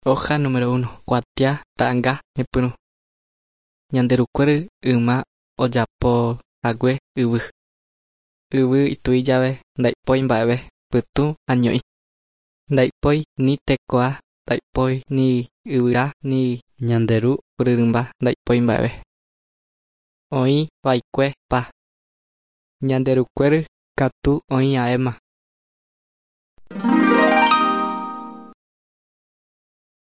Hoja número 1. Kuatia ta'ãnga ñepyrũ. Ñanderukuéry yma ojapohague yvy. Yvy itui jave ndaipói mba'eve pytũ año'i. Ndaipói ni tekoa, ndaipói ni yvyra ni ñande ru ryrymba ndaipói mba'eve. Oĩva'ekue pa. Ñanderukuéry katu oĩ'aéma.